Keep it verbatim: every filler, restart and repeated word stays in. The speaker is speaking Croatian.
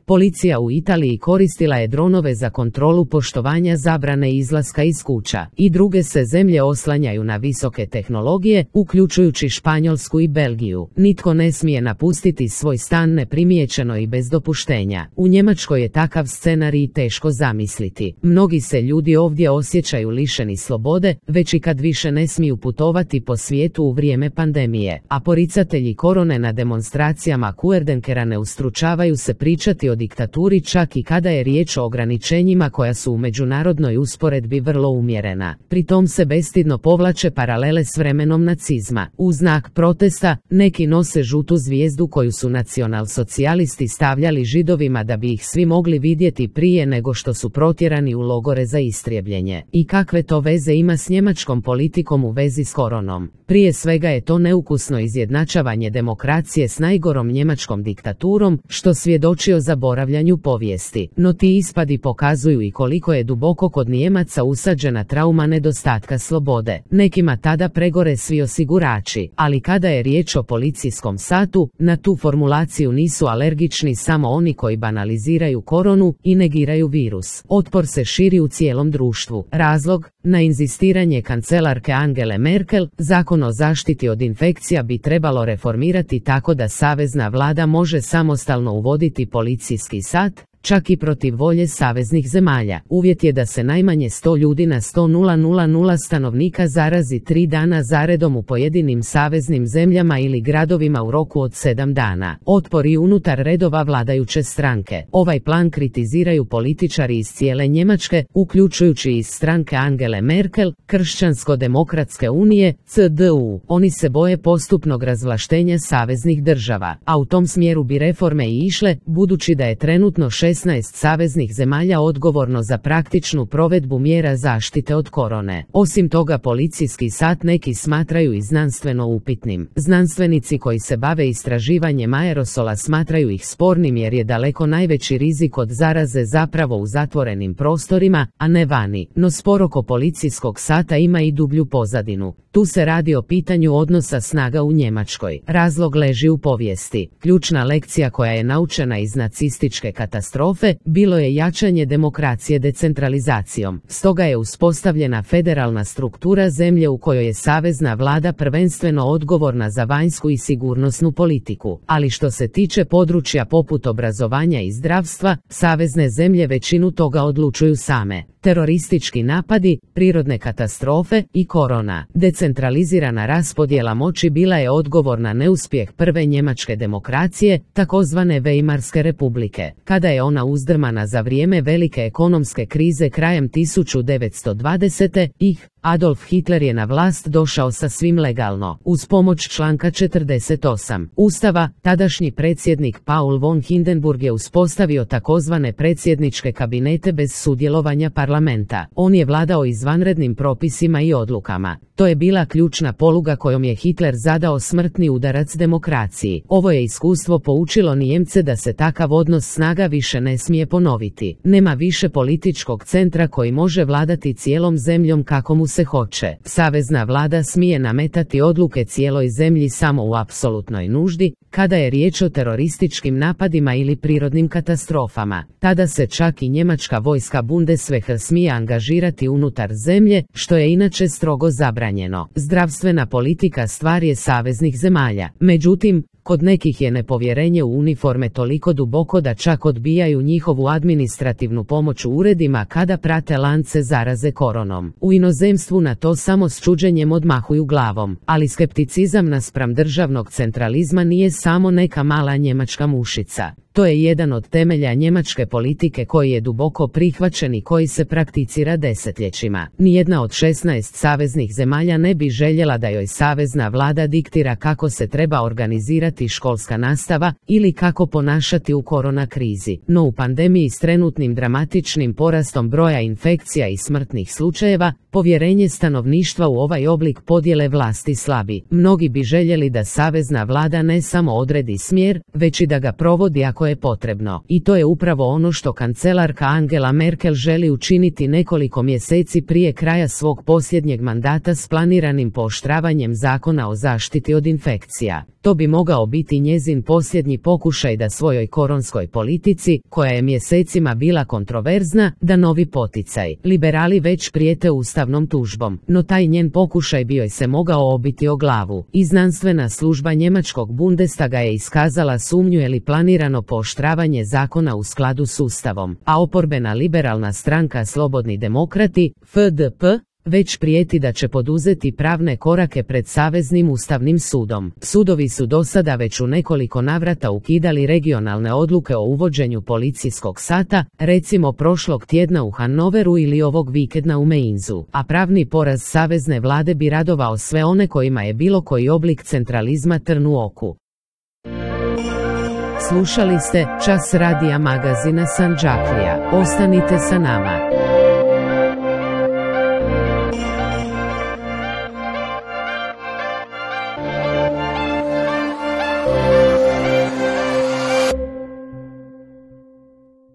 Policija u Italiji koristila je dronove za kontrolu poštovanja zabrane izlaska iz kuća. I druge se zemlje oslanjaju na visoke tehnologije, uključujući Španjolsku i Belgiju. Nitko ne smije napustiti svoj stan neprimjećeno i bez dopuštenja. U Njemačkoj je takav scenarij teško zamisliti. Mnogi se ljudi ovdje osjećaju lišeni slobode, već i kad više ne smiju putovati po svijetu u vrijeme pandemije. A poricatelji korone na demonstracijama Kuerdenkera ne ustručavaju se pričati o diktaturi čak i kada je riječ o ograničenjima koja su u međunarodnoj usporedbi vrlo umjerena. Pri tom se bestidno povlače paralele s vremenom nacizma. U znak protesta, neki nose žutu zvijezdu koju su nacionalsocijalisti stavljali Židovima da bi ih svi mogli vidjeti prije nego što su protjerani u logore za istrijebljenje. I kakve to veze ima s njemačkom politikom u vezi s koronom? Prije svega je to neukusno izjednačavanje demokracije s najgorom njemačkom diktaturom, što svjedoči o zaboravljanju povijesti. No ti ispadi pokazuju i koliko je duboko kod Nijemaca usađena trauma nedostatka slobode. Nekima tada pregore svi osigurači, ali kada je riječ o policijskom satu, na tu formulaciju nisu alergični samo oni koji banaliziraju koronu i negiraju virus. Otpor se širi u cijelom društvu. Razlog? Na inzistiranje kancelarke Angele Merkel, zakon o zaštiti od infekcija bi trebalo reformirati tako da savezna vlada može samostalno uvoditi policijski sat, čak i protiv volje saveznih zemalja. Uvjet je da se najmanje sto ljudi na sto tisuća stanovnika zarazi tri dana zaredom u pojedinim saveznim zemljama ili gradovima u roku od sedam dana. Otpor i unutar redova vladajuće stranke. Ovaj plan kritiziraju političari iz cijele Njemačke, uključujući iz stranke Angele Merkel, Kršćansko-demokratske unije, C D U. Oni se boje postupnog razvlaštenja saveznih država, a u tom smjeru bi reforme i išle, budući da je trenutno šesnaest saveznih zemalja odgovorno za praktičnu provedbu mjera zaštite od korone. Osim toga, policijski sat neki smatraju i znanstveno upitnim. Znanstvenici koji se bave istraživanjem aerosola smatraju ih spornim jer je daleko najveći rizik od zaraze zapravo u zatvorenim prostorima, a ne vani. No spor oko policijskog sata ima i dublju pozadinu. Tu se radi o pitanju odnosa snaga u Njemačkoj. Razlog leži u povijesti. Ključna lekcija koja je naučena iz nacističke katastrofe bilo je jačanje demokracije decentralizacijom. Stoga je uspostavljena federalna struktura zemlje u kojoj je savezna vlada prvenstveno odgovorna za vanjsku i sigurnosnu politiku. Ali što se tiče područja poput obrazovanja i zdravstva, savezne zemlje većinu toga odlučuju same. Teroristički napadi, prirodne katastrofe i korona. Decentralizirana raspodjela moći bila je odgovor na neuspjeh prve njemačke demokracije, takozvane Weimarske republike. Kada je ona uzdrmana za vrijeme velike ekonomske krize krajem tisuću devetsto dvadesete. ih Adolf Hitler je na vlast došao sasvim legalno, uz pomoć članka četrdeset osam Ustava. Tadašnji predsjednik Paul von Hindenburg je uspostavio takozvane predsjedničke kabinete bez sudjelovanja parlamenta. On je vladao izvanrednim propisima i odlukama. To je bila ključna poluga kojom je Hitler zadao smrtni udarac demokraciji. Ovo je iskustvo poučilo Nijemce da se takav odnos snaga više ne smije ponoviti. Nema više političkog centra koji može vladati cijelom zemljom kako mu se hoće. Savezna vlada smije nametati odluke cijeloj zemlji samo u apsolutnoj nuždi, kada je riječ o terorističkim napadima ili prirodnim katastrofama. Tada se čak i njemačka vojska Bundeswehr smije angažirati unutar zemlje, što je inače strogo zabranjeno. Zdravstvena politika stvar je saveznih zemalja. Međutim, kod nekih je nepovjerenje u uniforme toliko duboko da čak odbijaju njihovu administrativnu pomoć u uredima kada prate lance zaraze koronom. U inozemstvu na to samo s čuđenjem odmahuju glavom, ali skepticizam naspram državnog centralizma nije samo neka mala njemačka mušica. To je jedan od temelja njemačke politike koji je duboko prihvaćen i koji se prakticira desetljećima. Nijedna od šesnaest saveznih zemalja ne bi željela da joj savezna vlada diktira kako se treba organizirati školska nastava ili kako ponašati u korona krizi. No u pandemiji s trenutnim dramatičnim porastom broja infekcija i smrtnih slučajeva, povjerenje stanovništva u ovaj oblik podjele vlasti slabi. Mnogi bi željeli da savezna vlada ne samo odredi smjer, već i da ga provodi ako ako je potrebno. I to je upravo ono što kancelarka Angela Merkel želi učiniti nekoliko mjeseci prije kraja svog posljednjeg mandata s planiranim pooštravanjem zakona o zaštiti od infekcija. To bi mogao biti njezin posljednji pokušaj da svojoj koronskoj politici, koja je mjesecima bila kontroverzna, da novi poticaj. Liberali već prijete ustavnom tužbom, no taj njen pokušaj bio je se mogao obiti o glavu. I znanstvena služba njemačkog Bundestaga je iskazala sumnju je li planirano pooštravanje zakona u skladu s ustavom, a oporbena liberalna stranka Slobodni demokrati, F D P, već prijeti da će poduzeti pravne korake pred Saveznim ustavnim sudom. Sudovi su do sada već u nekoliko navrata ukidali regionalne odluke o uvođenju policijskog sata, recimo prošlog tjedna u Hannoveru ili ovog vikenda u Mainzu, a pravni poraz savezne vlade bi radovao sve one kojima je bilo koji oblik centralizma trn u oku. Slušali ste Čas radija magazina Sandžaklija. Ostanite sa nama.